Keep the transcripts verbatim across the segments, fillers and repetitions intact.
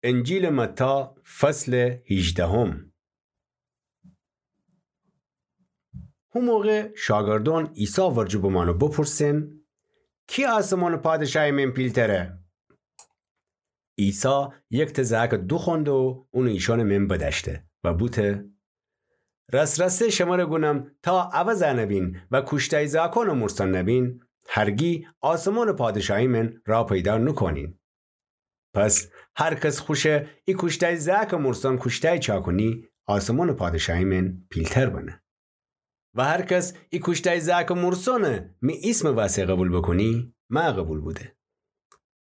انجیلٚ متی، فصلٚ هیجدهم. هو موقع شاگردأن عیسی ورجه بمأن و بپرسئن: کی آسمانٚ پادشایٚ من پیلتره؟ عیسی یکتأ زأکٚ دوخوأنده و اونٚ ایشأنٚ من بدأشته و بوته: راس‌راسی شمر گونم، تا عوض نبین و کوشتأی زأکأنٚ مورسأن نبین، هرگی آسمانٚ پادشایٚ من را پیدا نوکونین. پس هر کس خوشه ای کوشتأی زأکٚ مورسأن کوشتأی چاکونی، آسمانٚ پادشایٚ من پیلتر بنه. و هر کس ای کوشتأی زأکٚ مورسأنٚ می ایسمٚ وسه قوبیل بوکونی، مأ قوبیل بوده.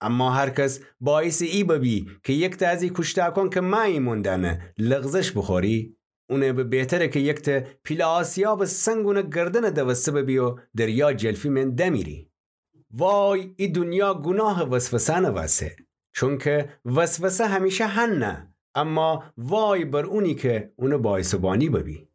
اما هر کس باعیسٚ ای ببی کی یکتأ از ای کوشتأکأن کی مأ ایمأن دأنه لغزش بوخوری، اونه به بهتره کی یکتأ پیله آسیابٚ سنگ اونٚ گردنٚ دوسته ببی و دریا جلفی من دمیری. وای ای دونیا گوناهٚ وسوسه‌نٚ وسه، چونکی وسوسه همیشه هنه، اما وای بر اونی کی اونٚ باعیس و بانی ببی.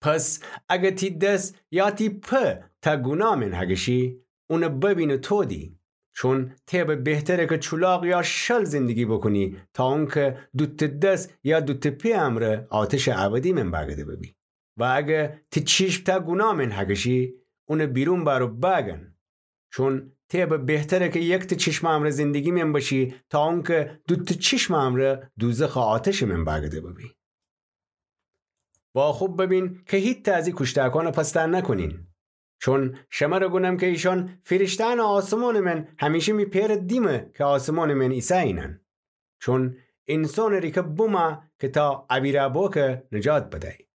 پس اگر تی دس یا تی پا تا گوناه من هگشی، اونه ببین و تودی. چون تی به بهتره کی چولاق یا شل زندگی بوکونی، تا اونکی دوتأ دس یا دوتأ پی امرأ آتشٚ ابدی من بأگده ببی. و اگر تی چیشم تا گوناه من هگشی، اونه بیرون بأر و بأگن. چون تی به بهتره کی یکتأ چیشمٚ امرأ زندگی من بشی، تا اونکی دوتأ چیشمٚ امرأ دوزخٚ آتشٚ من بأگده ببی. و خوب ببین کی هیتأ از ای کوشتأکأن پسته نوکونین. چون شمر گونم کی ایشأن فیرشته‌یأنٚ آسمانٚ من همیشه می پئرٚ دیمه کی آسمانٚ من ایسه‌یینأن. چون اینسانٚ ریکه بومه کی تا ابیرأ بوکه نجات بدأی.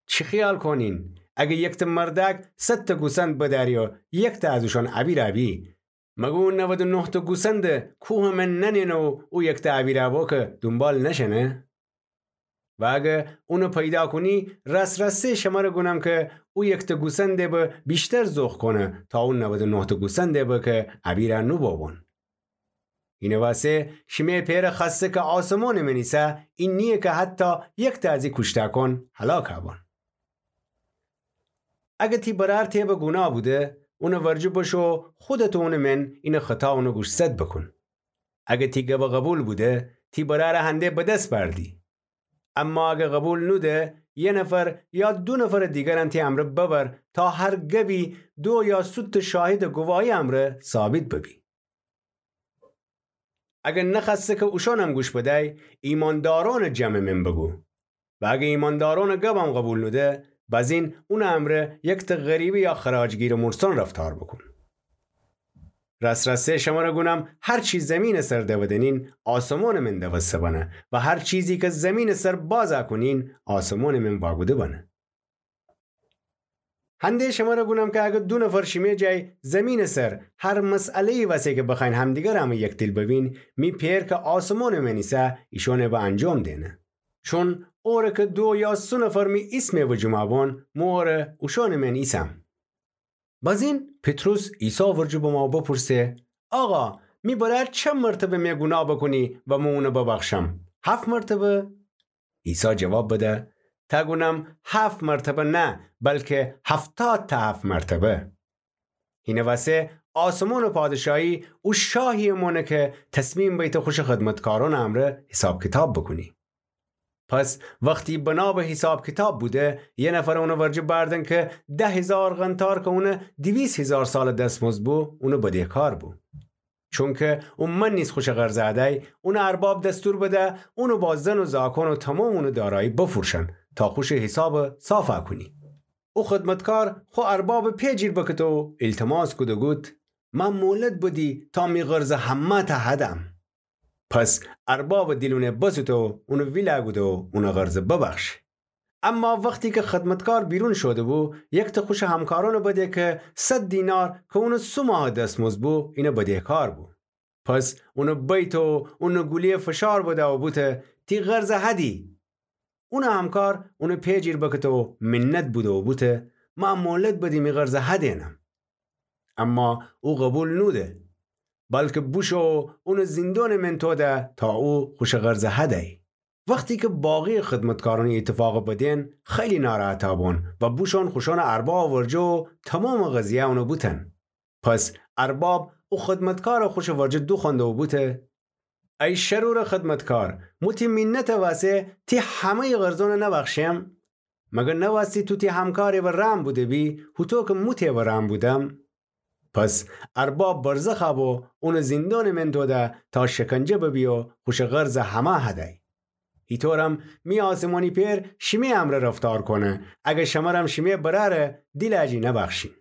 چی خیال کونین؟ اگر یکتأ مردأک صدتأ گوسند بدأری و یکتأ از اوشأن ابیرأ بی، مگر او نود و نهتأ گوسنده کوهٚ من ننهنه و او یکتأ ابیرأ بوکه دونبال نشأنه؟ و اگر اونه پیدا کونی، راس‌راستی شمر گونم کی او یکتأ گوسنده به ویشتر ذوق کونه تا او نود و نهتأ گوسنده به کی ابیرأ نوبوبون. اینٚ وسه شیمه پئرٚ خوأسته کی آسمانٚ من ایسه، این نییه کی حتی یکتأ از ای کوشتأکأن هلاکأ بون. اگر تی برأر تی به گوناه بوده، اونٚ ورجه بشو خودت و اونٚ من اینٚ خطا اونٚ گوش سد بوکون. اگر تی گبٚ قوبیل بوده، تی برأرٚ هنده بدس بأردی. اما اگر قوبیل نوده، یه نفر یا دو نفرٚ دیگرم تی امرأ ببر، تا هر گبی دو یا سوتأ شاهدٚ گواهی امرأ ثابت ببی. اگر نخوأسته کی اوشأنم گوش بدأی، ایماندارأنٚ جمعٚ من بوگو. و اگر ایماندارأنٚ گبم قوبیل نوده، بزین اونٚ امرأ یکتأ غریبه یا خراجگیرٚ مورسأن رفتار بوکون. راس‌راستی شمر گونم، هر چی زمینٚ سر دودنین، آسمانٚ من دوسته بنه، و هر چیزی کی زمینٚ سر بازأ کونین، آسمانٚ من واگوده بنه. هنده شمر گونم کی اگر دو نفر شیمه جای زمینٚ سر هر مسئله‌یی وسه کی بخوأیین همدیگر امرأ یکدیل ببین، می پئر کی آسمانٚ من ایسه ایشأنٚ به انجام دئنه. چون اوره کی دو یا سه نفر می ایسمٚ وجومأ بون، مو اوره اوشأنٚ من ایسم. بزین پطرس عیسی ورجه بمأ و بپرسه: آقا، می برأر چند مرتبه می گوناه بوکونی و مو اونه ببخشم؟ هفت مرتبه؟ عیسی جواب بده: تا گونم هفت مرتبه نه، بلکی هفتاد تا هفت مرتبه. هینٚ وسه آسمانٚ پادشاهی او شاهیی مانه کی تصمیم بیته خوشٚ خدمتکارأنٚ امرأ حساب کیتاب بوکونی. پس وختی بنا به حساب کیتاب بوده، یه نفر اونٚ ورجه بأردن کی ده هیزار قنطار کی اونٚ دویست هیزار سالٚ دسمزد بو، اونٚ بدهکار بو. چونکی او من نیز خوشٚ قرض ادأی، اونٚ ارباب دستور بده اونٚ با زن و زاکان و تومامٚ اونٚ دارایی بفروشن، تا خوشٚ حساب صافأ کونی. او خدمتکار خو اربابٚ پئ جیر بکته و ایلتماس کوده گود: مأ مولت بدی تا می قرضٚ همه‌تأ هدم. پس اربابٚ دیل اونٚ بسوته و اونٚ ویلأ کوده و اونٚ قرضٚ ببخشه. اما وختی کی خدمتکار بیرون شوده بو، یکتأ خوشٚ همکارأنٚ بده کی صد دینار کی اونٚ سه ماهٚ دسمزد بو، اینٚ بدهکار بو. پس اونٚ بیته و اونٚ گولی‌یه فشار بده و بوته: تی قرضٚ هدی. اونٚ همکار اونٚ پئ جیر بکته و منت بوده و بوته: مأ مولت بدی می قرضٚ هدینم. اما او قبول نوده، بلکی بوشو و اونٚ زیندانٚ من توده تا او خوشٚ قرضٚ هدی. وختی کی باقی‌یٚ خدمتکارأن ای ایتفاقٚ بدین، خیلی ناراحتأ بون و بوشون خوشأنٚ اربابٚ ورجه و تومامٚ قضیه اونٚ بوتن. پس ارباب او خدمتکارٚ خوشٚ ورجه دوخوأنده و بوته: ای شرورٚ خدمتکار، مو تی مینتٚ وسه تی همه‌یٚ قرضأنَ نبخشم؟ مگر نوأستی تو تی همکارٚ وأ رحم بوده‌بی، هوطو کی مو تی وأ رحم بودم؟ پس ارباب برزخَ بو اونَ زیندانٚ من دوده تا شکنجه ببی و خوشٚ قرضَ همه هدی. ایطورم می آسمانی پئر شیمی امرأ رفتار کونه، اگر شمرم شیمی برأرٚ دیلٚ اجی نبخشین.